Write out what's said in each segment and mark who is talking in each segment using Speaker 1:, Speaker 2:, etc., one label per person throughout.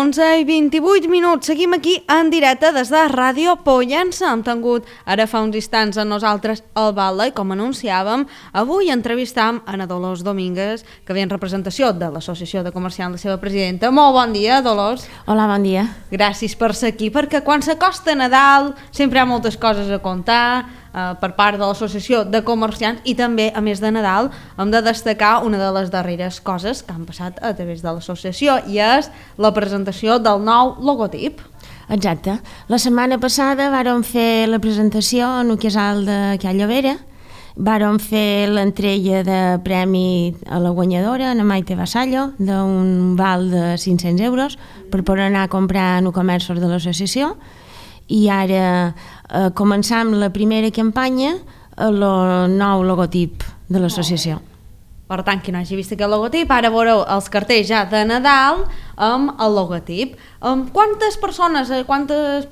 Speaker 1: 11:28. Seguim aquí en directe des de Ràdio Pollença. Hem tingut ara fa uns instants a nosaltres el Batlle i com anunciàvem, avui entrevistam a Ana Dolors Domínguez, que ve en representació de l'Associació de Comerciants, la seva presidenta. Molt bon dia, Dolors.
Speaker 2: Hola, bon dia.
Speaker 1: Gràcies per ser aquí, perquè quan s'acosta Nadal sempre hi ha moltes coses a contar per part de l'Associació de Comerciants i també, a més de Nadal, hem de destacar una de les darreres coses que han passat a través de l'associació i és la presentació del nou logotip.
Speaker 2: Exacte. La setmana passada vàrem fer la presentació en el casal de Cal Llovera, vàrem fer l'entrega de premi a la guanyadora, a Maite Vassallo, d'un val de 500 euros per poder anar a comprar en el comerç de l'associació, i ara començam la primera campanya a el nou logotip de l'associació.
Speaker 1: Per tant, qui no hagi vist aquest logotip, ara veureu els cartells ja de Nadal amb el logotip. Quantes persones, quantes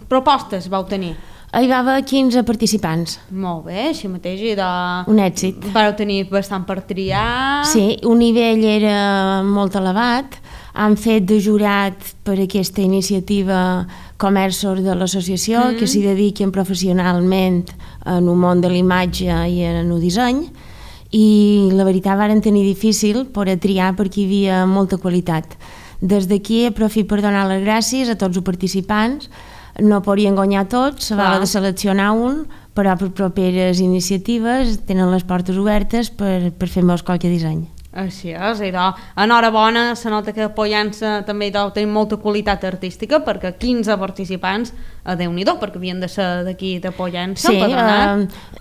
Speaker 1: propostes vau tenir?
Speaker 2: Hi va haver 15 participants.
Speaker 1: Molt bé, així mateix.
Speaker 2: Un èxit.
Speaker 1: Vau tenir bastant per triar.
Speaker 2: Sí, un nivell era molt elevat. Han fet de jurat per aquesta iniciativa comerços de l'associació que s'hi dediquen professionalment en el món de l'imatge i en el disseny, i la veritat varen tenir difícil per a triar perquè hi havia molta qualitat. Des d'aquí aprofito per donar les gràcies a tots els participants. No podien guanyar tots, s'havia de seleccionar un, però per properes iniciatives tenen les portes obertes per fer-nos qualque disseny.
Speaker 1: Així és, i enhorabona, se nota que a Pollença també tenim molta qualitat artística, perquè 15 participants, Déu-n'hi-do, perquè havien de ser d'aquí de Pollença.
Speaker 2: Sí,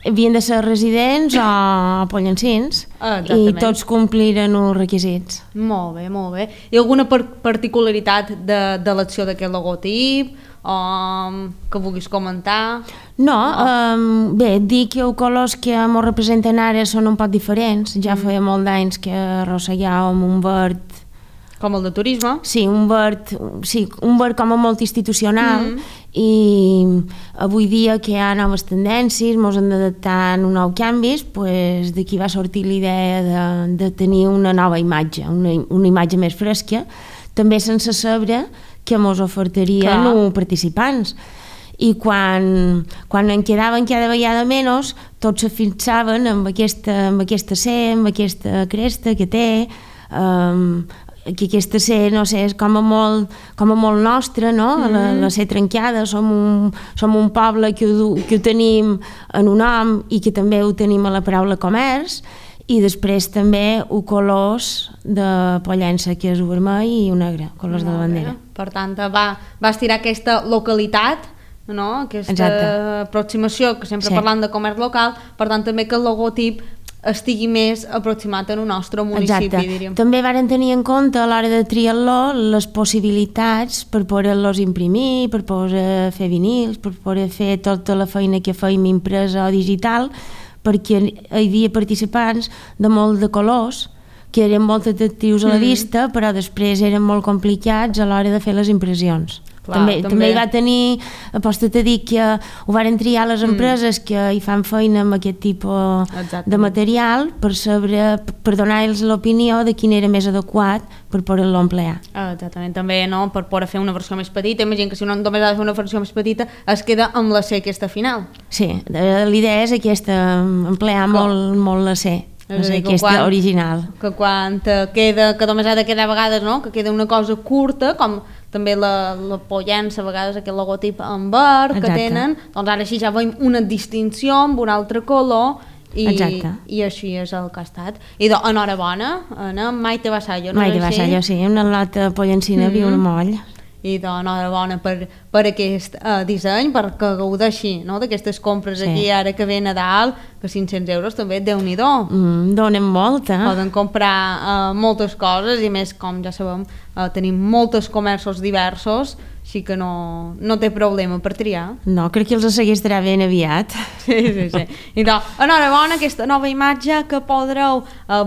Speaker 2: havien de ser residents o pollencins, i tots compliren els requisits.
Speaker 1: Molt bé, molt bé. Hi ha alguna particularitat de l'acció d'aquest logotip que vulguis comentar?
Speaker 2: No, bé, dir que els colors que ens representen ara són un poc diferents. Ja feia molt d'anys que arrossegàvem un verd...
Speaker 1: Com el de turisme?
Speaker 2: Sí, un verd com a molt institucional, i avui dia que hi ha noves tendències, ens hem d'adaptar a nous canvis, d'aquí va sortir l'idea de tenir una nova imatge, una imatge més fresca, també sense saber que ens ofertarien els participants. I quan en quedaven cada vegada menys, tots se fixaven amb aquesta C, amb aquesta cresta que té, que aquesta C, no sé, és com a molt nostra, no? La C trencada, som un poble que ho tenim en un nom i que també ho tenim a la paraula comerç, i després també els colors de Pollença, que és el vermell i el negre, colors de la bandera.
Speaker 1: Per tant, va estirar aquesta localitat, aquesta aproximació, que sempre parlant de comerç local, per tant també que el logotip estigui més aproximat en el nostre municipi, diríem.
Speaker 2: També varen tenir en compte a l'hora de triar-lo les possibilitats per poder-los imprimir, per poder fer vinils, per poder fer tota la feina que fèiem impresa o digital, perquè hi havia participants de molt de colors que eren molt atractius a la vista, però després eren molt complicats a l'hora de fer les impressions. També hi va tenir, aposta't a dir que ho varen triar les empreses que hi fan feina amb aquest tipus de material per donar-los l'opinió de quin era més adequat per poder-lo emplear.
Speaker 1: Exactament, també per poder fer una versió més petita. Imagina que si no només ha de fer una versió més petita es queda amb la C aquesta final.
Speaker 2: Sí, l'idea és aquesta, emplear molt la C. Aquesta original.
Speaker 1: Que quan queda, que només ha de quedar a vegades, que queda una cosa curta, com també la Pollença, a vegades aquest logotip en verd que tenen, doncs ara així ja veiem una distinció amb un altre color i així és el que ha estat. I enhorabona, Anna, Maite Vassallo.
Speaker 2: Maite Vassallo, sí, una lata pollencina viu al moll.
Speaker 1: I enhorabona per aquest disseny, perquè gaudeixi d'aquestes compres aquí ara que ve Nadal, que 500 euros també, Déu-n'hi-do.
Speaker 2: Donen molt,
Speaker 1: Poden comprar moltes coses i més, com ja sabem, tenim molts comerços diversos així que no té problema per triar.
Speaker 2: No, crec que els seguirà ben aviat.
Speaker 1: Sí. I doncs, enhorabona aquesta nova imatge que podreu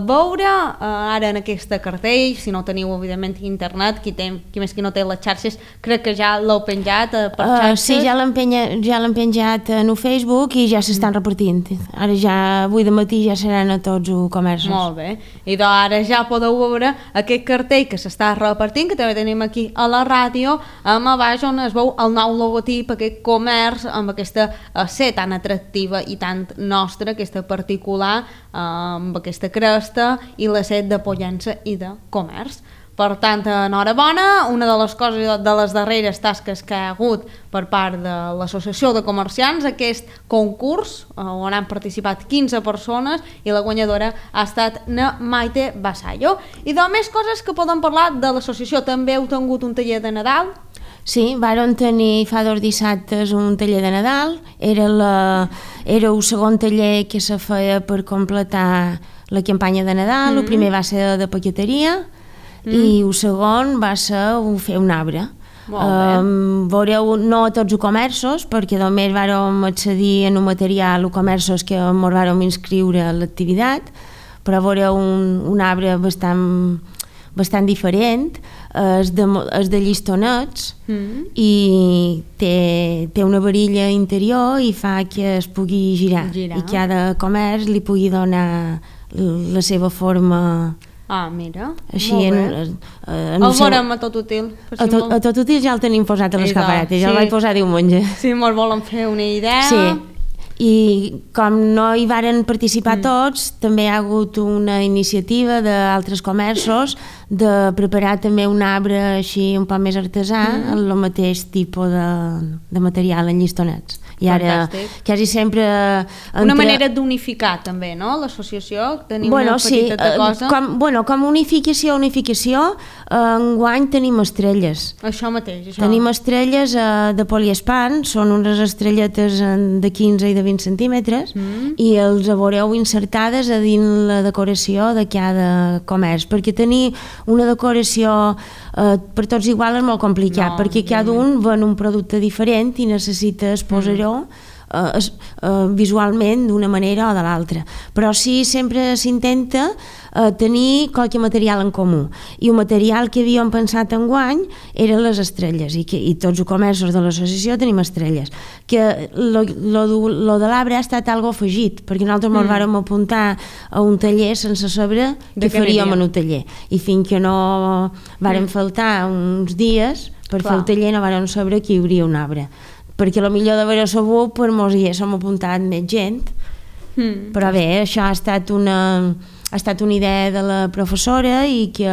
Speaker 1: veure ara en aquesta cartell, si no teniu evidentment internet, qui més qui no té les xarxes, crec que ja l'heu penjat per xarxes.
Speaker 2: Sí, ja l'hem penjat en Facebook i ja s'estan repartint. Ara ja, avui de matí ja seran a tots els comerços.
Speaker 1: Molt bé, i doncs ara ja podeu veure aquest cartell que s'està repartint, que també tenim aquí a la ràdio, amb a baix on es veu el nou logotip, aquest comerç amb aquesta C tan atractiva i tan nostra, aquesta particular, amb aquesta cresta i la C de Pollença i de comerç. Per tant, enhorabona, una de les coses, de les darreres tasques que hi ha hagut per part de l'Associació de Comerciants, aquest concurs on han participat 15 persones i la guanyadora ha estat na Maite Basallo. I de més coses que podem parlar de l'associació, també heu tingut un taller de Nadal?
Speaker 2: Sí, vàrem tenir fa 2 dissabtes un taller de Nadal, era el segon taller que se feia per completar la campanya de Nadal, el primer va ser de paqueteria, i el segon va ser fer un arbre. Veureu, no a tots els comerços, perquè només vàrem accedir en un material els comerços que ens vàrem inscriure a l'activitat, però veureu un arbre bastant diferent, és de llistonets i té una varilla interior i fa que es pugui girar. I cada comerç li pugui donar la seva forma.
Speaker 1: Ah, mira,
Speaker 2: així
Speaker 1: molt bé. El veurem a Tot Útil.
Speaker 2: A Tot Útil ja el tenim posat a l'escaparate, ja el vaig posar diumenge.
Speaker 1: Sí, molt volen fer una idea.
Speaker 2: Sí, i com no hi varen participar tots, també hi ha hagut una iniciativa d'altres comerços de preparar també un arbre així un poc més artesà, amb el mateix tipus de material en llistonets. I ara quasi sempre
Speaker 1: una manera d'unificar també, no? L'associació, tenim una petita cosa.
Speaker 2: Com unificació, enguany tenim estrelles.
Speaker 1: Això mateix.
Speaker 2: Tenim estrelles de poliespan, són unes estrelletes de 15 i de 20 centímetres i els veureu insertades a dins la decoració de cada comerç, perquè tenir una decoració per tots igual és molt complicat, perquè cada un ven un producte diferent i necessita exposar-ho visualment d'una manera o de l'altra, però sí sempre s'intenta tenir qualque material en comú, i el material que havíem pensat enguany eren les estrelles, i tots els comerços de l'associació tenim estrelles, que lo de l'arbre ha estat algo afegit, perquè nosaltres ens vàrem apuntar a un taller sense saber què faríem en un taller, i fins que no vàrem faltar uns dies per fer el taller no vàrem saber que hi hauria un arbre, perquè potser d'haver sabut pues mos hi haguéssim apuntat més gent, però bé, això ha estat una idea de la professora i que...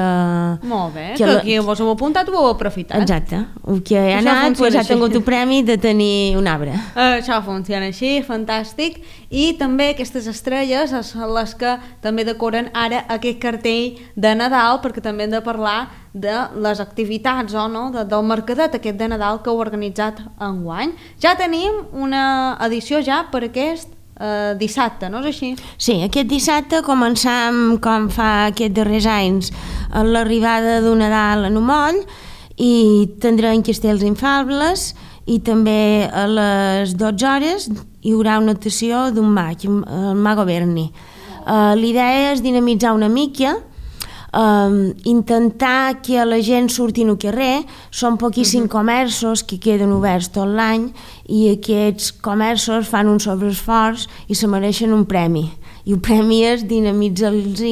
Speaker 1: Molt bé, que vos heu apuntat ho heu aprofitat.
Speaker 2: Exacte, el que ha anat pues, ha tingut un premi de tenir un arbre.
Speaker 1: Això funciona així, fantàstic, i també aquestes estrelles són les que també decoren ara aquest cartell de Nadal, perquè també hem de parlar de les activitats del mercadet aquest de Nadal que heu organitzat enguany. Ja tenim una edició ja per aquest dissabte, no és així?
Speaker 2: Sí, aquest dissabte començam com fa aquests darrers anys amb l'arribada d'un Nadal en un moll i tindrem castells infables i també a les 12 hores hi haurà una actuació d'un mag, el Mago Berni. L'idea és dinamitzar una mica, intentar que la gent surti al carrer. Són poquíssims comerços que queden oberts tot l'any i aquests comerços fan un sobreesforç i se mereixen un premi, i el premi és dinamitzar-los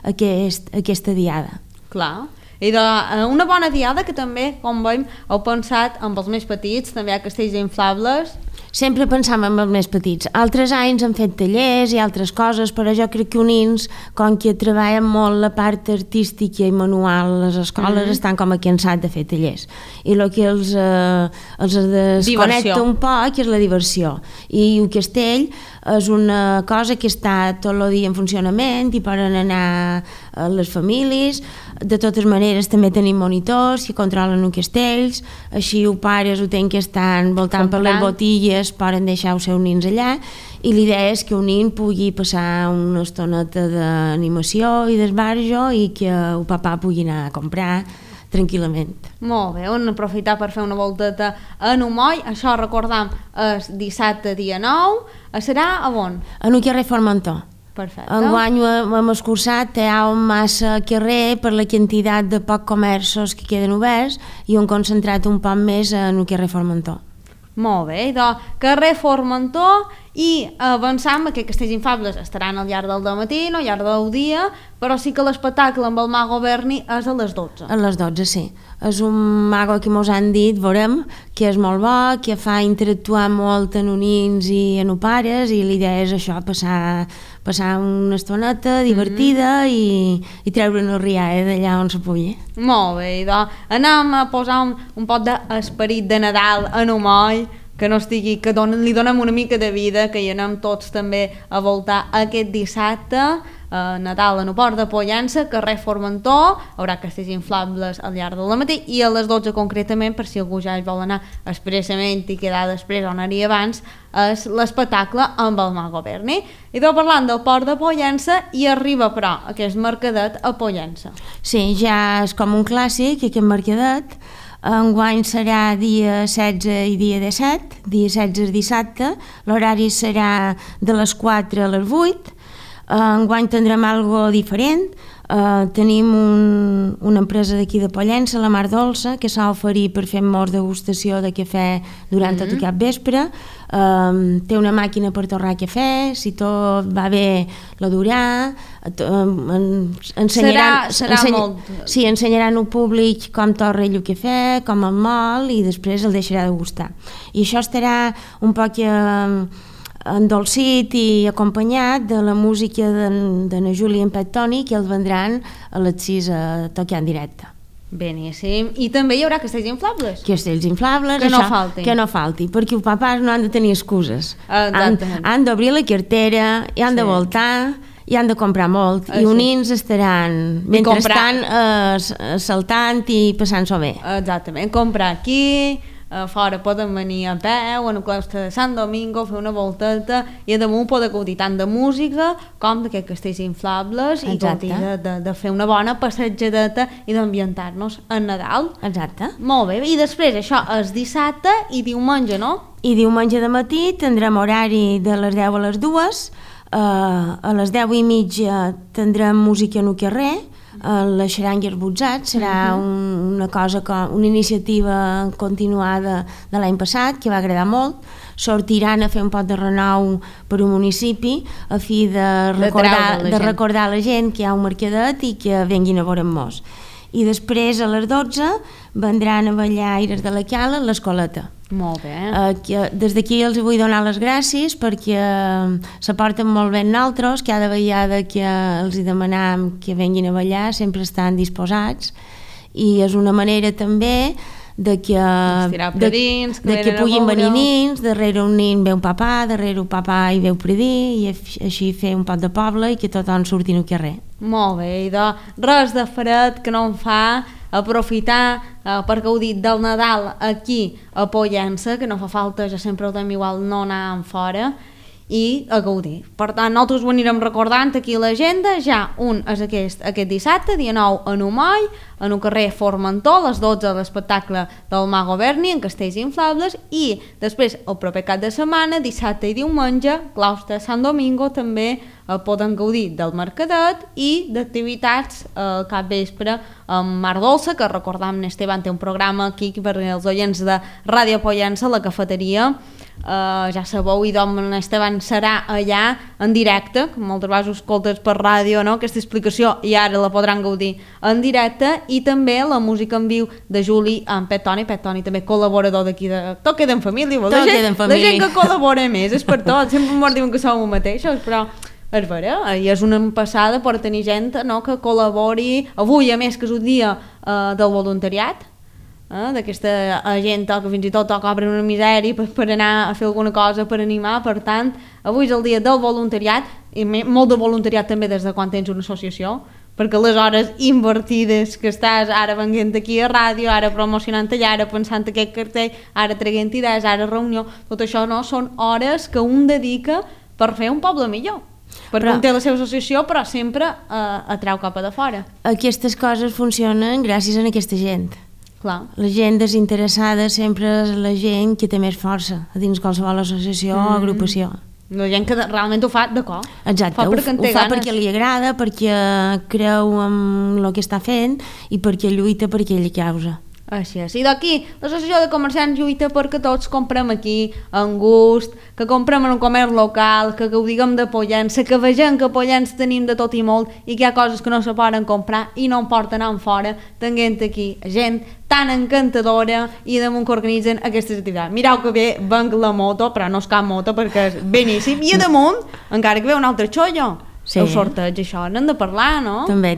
Speaker 2: aquesta diada.
Speaker 1: Clar, i una bona diada que també, com veiem, heu pensat amb els més petits, també hi ha castells inflables.
Speaker 2: Sempre pensàvem en els més petits. Altres anys hem fet tallers i altres coses, però jo crec que unins, com que treballen molt la part artística i manual, les escoles estan com a cansats de fer tallers. I el que els desconnecta un poc és la diversió. I el castell és una cosa que està tot el dia en funcionament i poden anar a les famílies. De totes maneres també tenim monitors que controlen els castells, així els pares ho tenen que estar voltant per les botilles, poden deixar els seus nins allà, i l'idea és que un nin pugui passar una estoneta d'animació i d'esbarjo i que el papà pugui anar a comprar tranquil·lament.
Speaker 1: Molt bé, hem aprofitar per fer una volteta a Numoll. Això, recordam, és dissabte dia 9. Serà a on?
Speaker 2: En un carrer Formentor.
Speaker 1: Perfecte.
Speaker 2: Enguany hem escurçat, hi ha massa carrer per la quantitat de pocs comerços que queden oberts i hem concentrat un poc més en el carrer Formentor.
Speaker 1: Molt bé, doncs carrer Formentor, i avançam que Castells Infables estaran al llarg del matí, no al llarg del dia, però sí que l'espectacle amb el Mago Berni és a les 12.
Speaker 2: A les 12, sí. És un mago que mos han dit, veurem, que és molt bo, que fa interactuar molt en nins i en pares, i l'idea és això, passar una estoneta divertida i treure'n el riall d'allà on se pugui.
Speaker 1: Molt bé, doncs anem a posar un pot d'esperit de Nadal a Numoll, que no estigui, que li donem una mica de vida, que hi anem tots també a voltar aquest dissabte, Nadal en el Port de Pollença, carrer Formentor, haurà castells inflables al llarg del matí, i a les 12 concretament, per si algú ja hi vol anar expressament i quedar després o anar-hi abans, és l'espectacle amb el Mago Berni. I tot parlant del Port de Pollença, i arriba però aquest mercadet a Pollença.
Speaker 2: Sí, ja és com un clàssic aquest mercadet. Enguany serà dia 16 i dia 17, dia 16 és dissabte, l'horari serà de les 4 a les 8. Enguany tindrem algo diferent. Tenim una empresa d'aquí de Pollença, la Mar Dolça, que s'ha oferit per fer-nos degustació de cafè durant tot aquest vespre. Té una màquina per torrar cafè, si tot va bé la durà. Ensenyaran al públic com torra ell el cafè, com el mol, i després el deixarà degustar. I això estarà un poc endolcit i acompanyat de la música de na Júlia i en Pet Toni, que els vendran a les 6 a tocar en directe.
Speaker 1: Beníssim. I també hi haurà castells inflables.
Speaker 2: Castells inflables, que no falti, perquè els papàs no han de tenir excuses. Han d'obrir la cartera, i han de voltar, i han de comprar molt, i uns nins estaran mentrestant saltant i passant-s'ho bé.
Speaker 1: Exactament, comprar aquí, fora poden venir a peu, en el claustre de Sant Domingo, fer una volteta, i damunt poden gaudir tant de música com d'aquests castells inflables. Exacte. I gaudir de fer una bona passejadeta i d'ambientar-nos en Nadal.
Speaker 2: Exacte.
Speaker 1: Molt bé, i després això és dissabte i diumenge, no?
Speaker 2: I diumenge de matí tindrem horari de les 10 a les 2, a les 10:30 tindrem música en el carrer, la xaranga i els botzats. Serà una iniciativa continuada de l'any passat, que va agradar molt. Sortiran a fer un pot de renou per un municipi a fi de recordar a la gent que hi ha un mercadet i que venguin a veure'm-nos. I després a les 12 vendran a ballar Aires de la Cala a l'Escoleta.
Speaker 1: Molt bé.
Speaker 2: Des d'aquí els vull donar les gràcies perquè se porten molt bé nosaltres, cada vegada que els demanam que venguin a ballar sempre estan disposats, i és una manera també de que puguin venir nins, darrere un nin ve un papà, darrere un papà hi veu predir, i així fer un pot de poble i que tothom surti al carrer.
Speaker 1: Molt bé, i res de fred que no em fa aprofitar per gaudir del Nadal aquí a Pollença, que no fa falta, ja sempre ho tenim igual, no anar en fora, i a gaudir. Per tant, nosaltres ho anirem recordant aquí a l'agenda. Ja un és aquest dissabte, dia 9 a Numoll, en el carrer Formentor, a les 12 l'espectacle del Mago Berni en castells inflables, i després el proper cap de setmana, dissabte i diumenge, claustre de Sant Domingo, també poden gaudir del mercadet i d'activitats al capvespre amb Mar Dolça, que recordam, Esteban té un programa aquí per als oients de Ràdio Pollença, la cafeteria. Ja sabeu, i doncs Esteban serà allà en directe, que moltes vegades ho escoltes per ràdio, no? Aquesta explicació, i ara la podran gaudir en directe, i també la música en viu de Juli amb Pet Toni també col·laborador d'aquí de... Tot queda en família, la gent que col·labora més, és per tot, sempre ens diuen que som els mateixos, però és vera, i és una passada per tenir gent, no?, que col·labori. Avui, a més, que és un dia del voluntariat, d'aquesta gent que fins i tot cobren una misèria per anar a fer alguna cosa, per animar. Per tant, avui és el dia del voluntariat, i molt de voluntariat també des de quan tens una associació, perquè les hores invertides que estàs ara venint aquí a ràdio, ara promocionant allà, ara pensant aquest cartell, ara traient idees, ara reunió, tot això no són hores que un dedica per fer un poble millor. Perquè un té la seva associació, però sempre atreu cap a de fora.
Speaker 2: Aquestes coses funcionen gràcies a aquesta gent.
Speaker 1: Clar.
Speaker 2: La gent desinteressada sempre és la gent que té més força a dins qualsevol associació o agrupació.
Speaker 1: La gent que realment ho fa de cor.
Speaker 2: Exacte, ho fa perquè li agrada, perquè creu en el que està fent i perquè lluita per aquella causa.
Speaker 1: Així és. I d'aquí, l'associació de comerciants lluita perquè tots comprem aquí, en gust, que comprem en un comerç local, que gaudiguem de Pollença, que vegem que a Pollença tenim de tot i molt i que hi ha coses que no se poden comprar i no en porten en fora, tenint aquí gent tan encantadora i damunt que organitzen aquestes activitats. Mireu que bé venc la moto, però no és cap moto perquè és beníssim, i a damunt encara que ve un altre xollo. Sí. El sorteig, això, n'hem de parlar, no?
Speaker 2: També.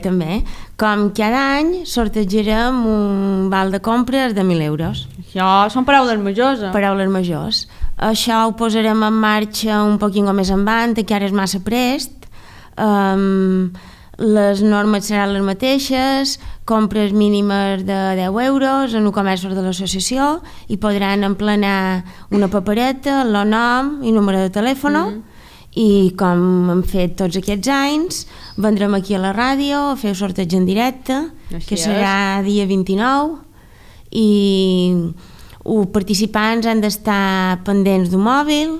Speaker 2: Com cada any sortejarem un val de compres de 1.000 euros.
Speaker 1: Això són paraules majors,
Speaker 2: Paraules majors. Això ho posarem en marxa un poquet més endavant, que ara és massa prest. Les normes seran les mateixes, compres mínimes de 10 euros en un comerç de l'associació i podran emplenar una papereta, el nom i número de telèfon. I com hem fet tots aquests anys, vendrem aquí a la ràdio a fer el sorteig en directe, que serà dia 29, i els participants han d'estar pendents d'un mòbil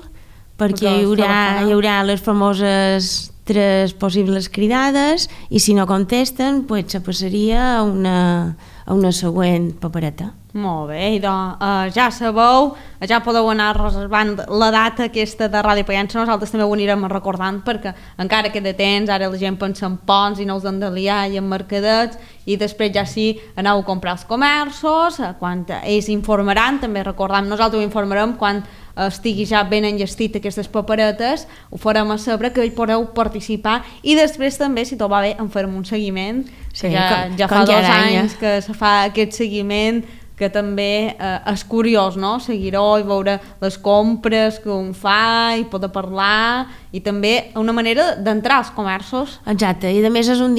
Speaker 2: perquè hi haurà les famoses 3 possibles cridades i si no contesten se passaria a una següent papereta.
Speaker 1: Molt bé, doncs ja sabeu, ja podeu anar reservant la data aquesta de Ràdio Pollença, nosaltres també ho anirem recordant perquè encara queda temps, ara la gent pensa en ponts i no els han de liar i en mercadets i després ja sí aneu a comprar els comerços, quan ells informaran, també recordem, nosaltres ho informarem quan estigui ja ben enllestit aquestes paperetes, ho farem a saber que podeu participar i després també, si tot va bé, en farem un seguiment, sí, ja fa 2 anys que se fa aquest seguiment que també és curiós, no? Seguir-ho i veure les compres que un fa i poder parlar i també una manera d'entrar als comerços.
Speaker 2: Exacte, i a més és un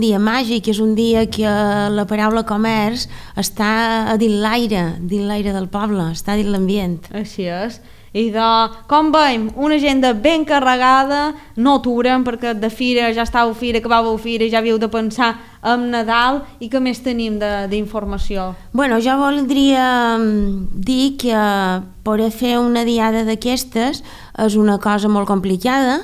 Speaker 2: dia màgic, és un dia que la paraula comerç està a dins l'aire del poble, està dins l'ambient.
Speaker 1: Així és. I com veiem, una agenda ben carregada, no aturem perquè de fira ja estàveu fira, acabàveu fira, ja havíeu de pensar en Nadal i què més tenim d'informació?
Speaker 2: Bueno, jo voldria dir que poder fer una diada d'aquestes és una cosa molt complicada.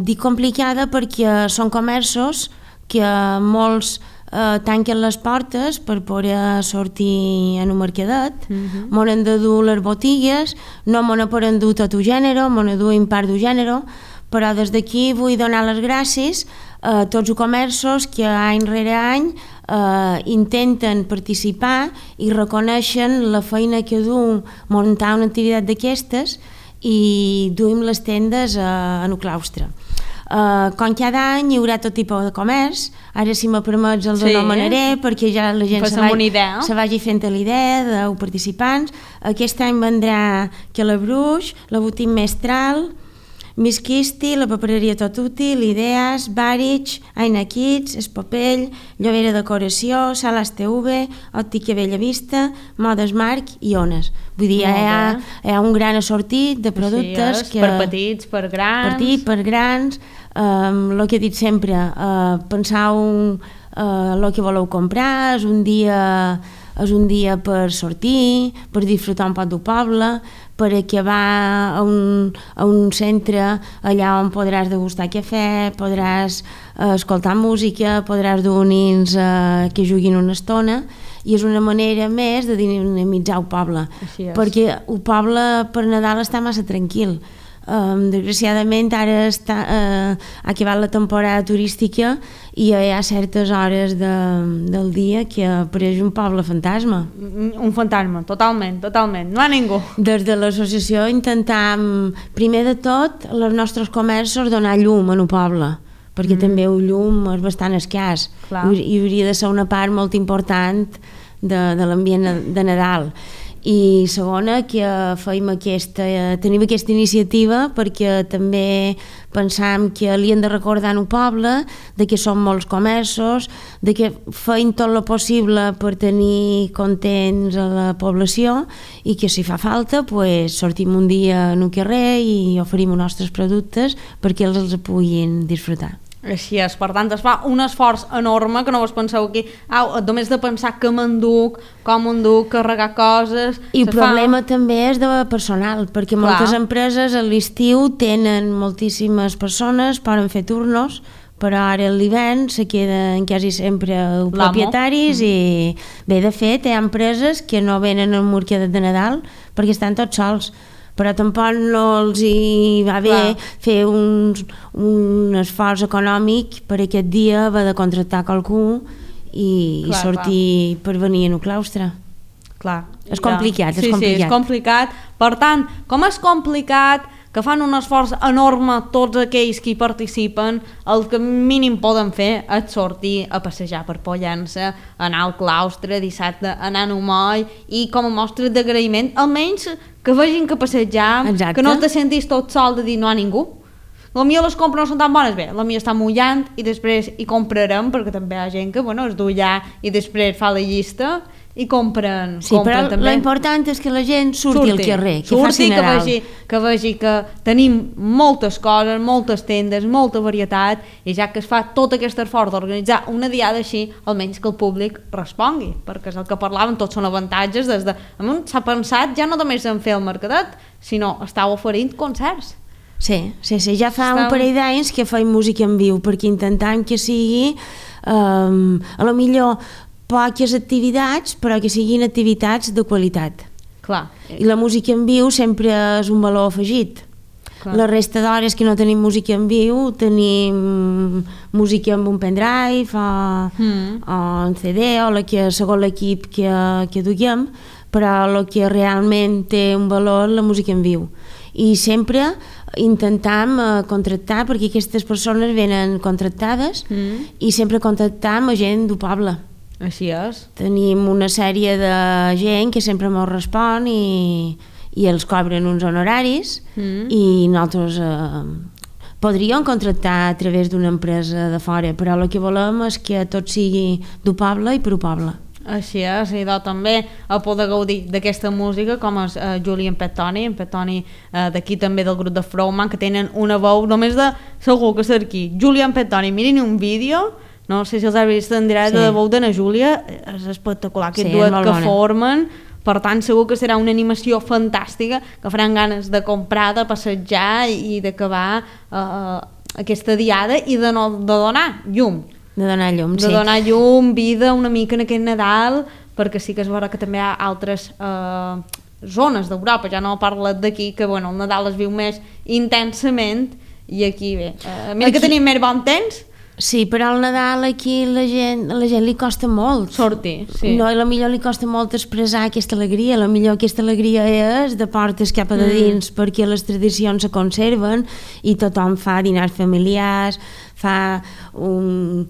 Speaker 2: Dic complicada perquè són comerços que molts tanquen les portes per poder sortir en un mercadet, m'han han de dur les botigues, no m'han poden dur tot el gènere, m'han de dur en part del gènere, però des d'aquí vull donar les gràcies a tots els comerços que any rere any intenten participar i reconeixen la feina que du muntar una activitat d'aquestes i duim les tendes en el claustre. Com cada any hi haurà tot tipus de comerç, ara si me permets els anomenaré perquè ja la gent se vagi fent l'idea dels participants. Aquest any vendrà Calabruix, la Botín Mestral, Miss Kisti, la papereria Tot Útil, Ideas, Barich, Aina Kids, Espopell, Llobera Decoració, Salas TV, Òptica Bellavista, Modes Marc i Ones. Vull dir, hi ha un gran assortit de productes
Speaker 1: per petits, per grans.
Speaker 2: Per grans, el que he dit sempre, penseu el que voleu comprar, és un dia per sortir, per disfrutar un poc del poble, per acabar a un centre allà on podràs degustar cafè, podràs escoltar música, podràs dur nens que juguin una estona i és una manera més de dinamitzar el poble, perquè el poble per Nadal està massa tranquil. Desgraciadament ara ha acabat la temporada turística i hi ha certes hores del dia que apareix un poble fantasma.
Speaker 1: Un fantasma, totalment, no hi ha ningú.
Speaker 2: Des de l'associació intentam, primer de tot, als nostres comerços donar llum en el poble, perquè també el llum és bastant escàs i hauria de ser una part molt important de l'ambient de Nadal. i segona que tenim aquesta iniciativa perquè també pensam que li hem de recordar al poble de que són molts comerços, de que feim tot el possible per tenir contents a la població i que si fa falta pues, sortim un dia en un carrer i oferim els nostres productes perquè els puguin disfrutar.
Speaker 1: Així és, per tant es fa un esforç enorme que no vos penseu aquí, només de pensar que m'enduc, com m'enduc, carregar coses...
Speaker 2: I el problema també és de personal, perquè moltes empreses a l'estiu tenen moltíssimes persones, poden fer turnos, però ara a l'hivern se queden quasi sempre propietaris i bé, de fet hi ha empreses que no venen al mercat de Nadal perquè estan tots sols, però tampoc no els hi va bé fer un esforç econòmic per aquest dia haver de contractar qualcú i sortir per venir en un claustre.
Speaker 1: Clar.
Speaker 2: És complicat,
Speaker 1: és complicat. Sí, és complicat. Per tant, com és complicat que fan un esforç enorme tots aquells que hi participen, el que mínim poden fer és sortir a passejar per Pollença, anar al claustre dissabte, anar a Numoll i com a mostra d'agraïment, almenys que vegin que passejam, que no te sentis tot sol de dir no a ningú. La mia les compres no són tan bones, bé, la mia està mullant i després hi comprarem, perquè també hi ha gent que es du allà i després fa la llista i compren
Speaker 2: però
Speaker 1: també.
Speaker 2: L'important és que la gent surti al carrer, que faci Nadal.
Speaker 1: Que vegi que tenim moltes coses, moltes tendes, molta varietat, i ja que es fa tot aquest esforç d'organitzar una diada així, almenys que el públic respongui, perquè és el que parlàvem, tots són avantatges, s'ha pensat ja no només en fer el mercadet, sinó estàu oferint concerts.
Speaker 2: Sí, ja fa un parell d'anys que faig música en viu, perquè intentam que sigui a lo millor poques activitats, però que siguin activitats de qualitat.
Speaker 1: Clar.
Speaker 2: I la música en viu sempre és un valor afegit. Clar. La resta d'hores que no tenim música en viu, tenim música amb un pendrive o un CD o segons l'equip que duguem, però el que realment té un valor la música en viu. I sempre intentam contractar, perquè aquestes persones venen contractades i sempre contractam a gent del poble.
Speaker 1: Així és.
Speaker 2: Tenim una sèrie de gent que sempre mos respon i els cobren uns honoraris i nosaltres podríem contractar a través d'una empresa de fora, però el que volem és que tot sigui del poble i per al poble.
Speaker 1: Així és, i també a poder gaudir d'aquesta música com és Julian Pettoni, d'aquí també del grup de Frowman, que tenen una veu només de segur que ser aquí. Julian Pettoni, mirin un vídeo, no sé si els heu vist en directe, de veu d'Anna Júlia, és espectacular aquest duet que formen, per tant segur que serà una animació fantàstica, que faran ganes de comprar, de passejar i d'acabar aquesta diada i de donar llum.
Speaker 2: De donar llum,
Speaker 1: sí. De donar llum, vida una mica en aquest Nadal, perquè sí que és vera que també hi ha altres zones d'Europa, ja no parlo d'aquí, que el Nadal es viu més intensament i aquí bé. Mira que tenim més bon temps.
Speaker 2: Sí, però al Nadal aquí a la gent li costa molt
Speaker 1: sortir, sí.
Speaker 2: No, i potser li costa molt expressar aquesta alegria, potser aquesta alegria és de portes cap a de dins perquè les tradicions se conserven i tothom fa dinars familiars, fa un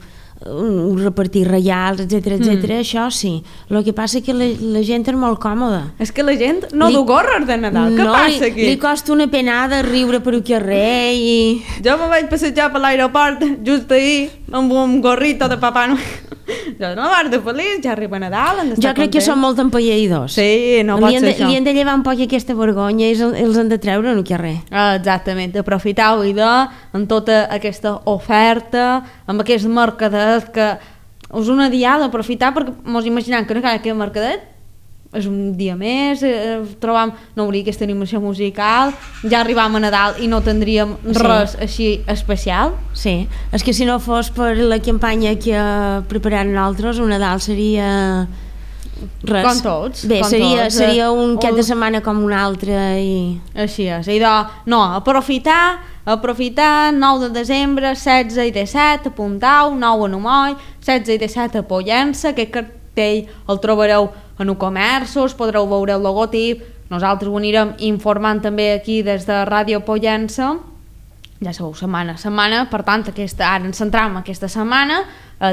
Speaker 2: repartir reials, etc. Això sí. El que passa és que la gent és molt còmoda.
Speaker 1: És que la gent no du gorres de Nadal. Què passa aquí?
Speaker 2: Li costa una penada riure per un carrer i...
Speaker 1: Jo me vaig passejar per l'aeroport just ahir amb un gorrito de Papà Noel. Jo no vaig de feliç, ja arriba Nadal, han d'estar
Speaker 2: Jo crec que són molt empalleïdors.
Speaker 1: Sí, no pot ser això.
Speaker 2: Li han de llevar un poc aquesta vergonya i els han de treure en un carrer.
Speaker 1: Exactament, aprofitau en tota aquesta oferta, amb aquest mercadet que és una diada, aprofitar perquè mos imaginem que no cal aquest mercadet és un dia més, no hauria aquesta animació musical, ja arribam a Nadal i no tindríem res així especial.
Speaker 2: Sí, és que si no fos per la campanya que preparem nosaltres, un Nadal seria res.
Speaker 1: Com tots.
Speaker 2: Bé, seria un cap de setmana com un altre i...
Speaker 1: Així és, aprofitar 9 de desembre, 16 i 17 a Puntau, 9 a Numoll, 16 i 17 a Pollença, aquest cartell el trobareu en un comerços, podreu veure el logotip, nosaltres ho anirem informant també aquí des de Ràdio Pollença Ja sabeu, setmana, per tant, ara ens centram aquesta setmana,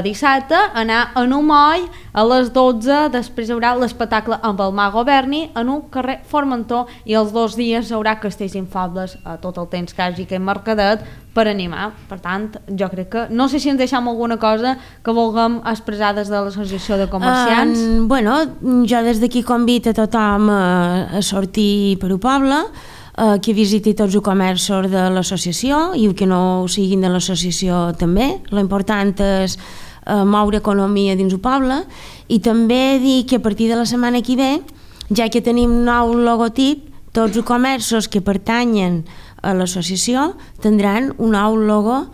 Speaker 1: dissabte, anar a un moll a les 12, després hi haurà l'espectacle amb el Mago Berni en un carrer Formentor i els 2 dies hi haurà castells infables a tot el temps que hagi aquest mercadet per animar. Per tant, jo crec que, no sé si ens deixem alguna cosa que vulguem expressar des de l'associació de comerciants.
Speaker 2: Bueno, jo des d'aquí convido a tothom a sortir per el poble, que visiti tots els comerços de l'associació i que no siguin de l'associació també. L'important és moure economia dins el poble i també dir que a partir de la setmana que ve, ja que tenim nou logotip, tots els comerços que pertanyen a l'associació tindran un nou logo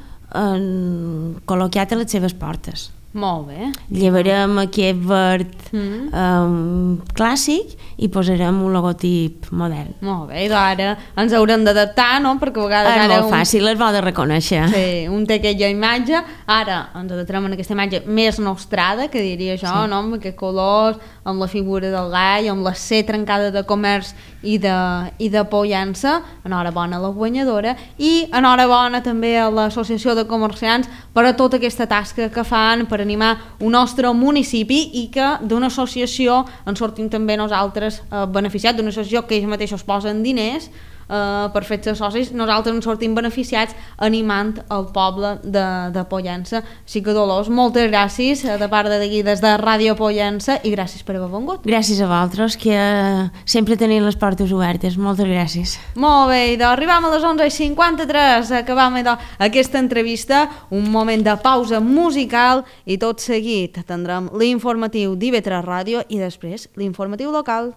Speaker 2: col·locat a les seves portes.
Speaker 1: Molt bé.
Speaker 2: Llevarem aquest verd clàssic i posarem un logotip modern.
Speaker 1: Molt bé, doncs ara ens haurem d'adaptar, no? Perquè a vegades
Speaker 2: és molt fàcil, és bo de reconèixer.
Speaker 1: Sí, un té aquella imatge, ara ens adaptarem en aquesta imatge més nostrada, que diria jo, sí. No? Amb aquests colors, amb la figura del gall, amb la C trencada de comerç i de pollença. Enhorabona a la guanyadora i enhorabona també a l'associació de comerciants per a tota aquesta tasca que fan per animar un nostre municipi i que d'una associació en sortim també nosaltres beneficiats, d'una associació que ells mateixos posen diners per fer-se socis, nosaltres ens sortim beneficiats animant el poble de Pollença. Així que Dolors, moltes gràcies de part d'aquí des de Ràdio Pollença i gràcies per haver vengut.
Speaker 2: Gràcies a vosaltres, que sempre teniu les portes obertes. Moltes gràcies.
Speaker 1: Molt bé, doncs arribam a les 11:53, acabam aquesta entrevista, un moment de pausa musical i tot seguit tindrem l'informatiu d'IV3 Ràdio i després l'informatiu local.